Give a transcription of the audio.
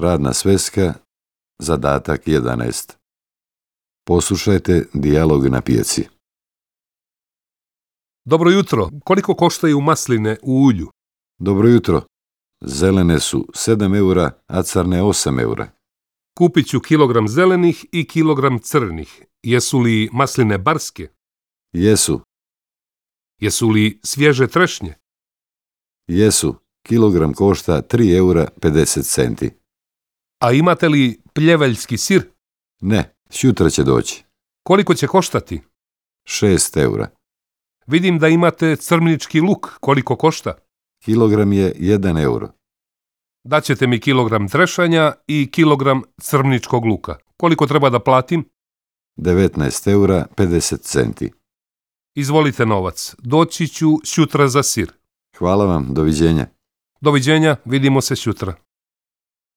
Radna sveska, zadatak 11. Poslušajte dijalog na pijaci. Dobro jutro. Koliko koštaju masline u ulju? Dobro jutro. Zelene su 7 eura, a crne 8 eura. Kupit ću kilogram zelenih i kilogram crnih. Jesu li masline barske? Jesu, Jesu li svježe trešnje? jesu. Kilogram košta 3 eura 50 centi. A imate li pljeveljski sir? Ne, sutra će doći. Koliko će koštati? 6 eura. Vidim da imate crmnički luk. Koliko košta? Kilogram je 1 euro. Daćete mi kilogram trešanja i kilogram crmničkog luka. Koliko treba da platim? 19 eura 50 centi. Izvolite novac. Doći ću sutra za sir. Hvala vam, doviđenja. Doviđenja, vidimo se sutra.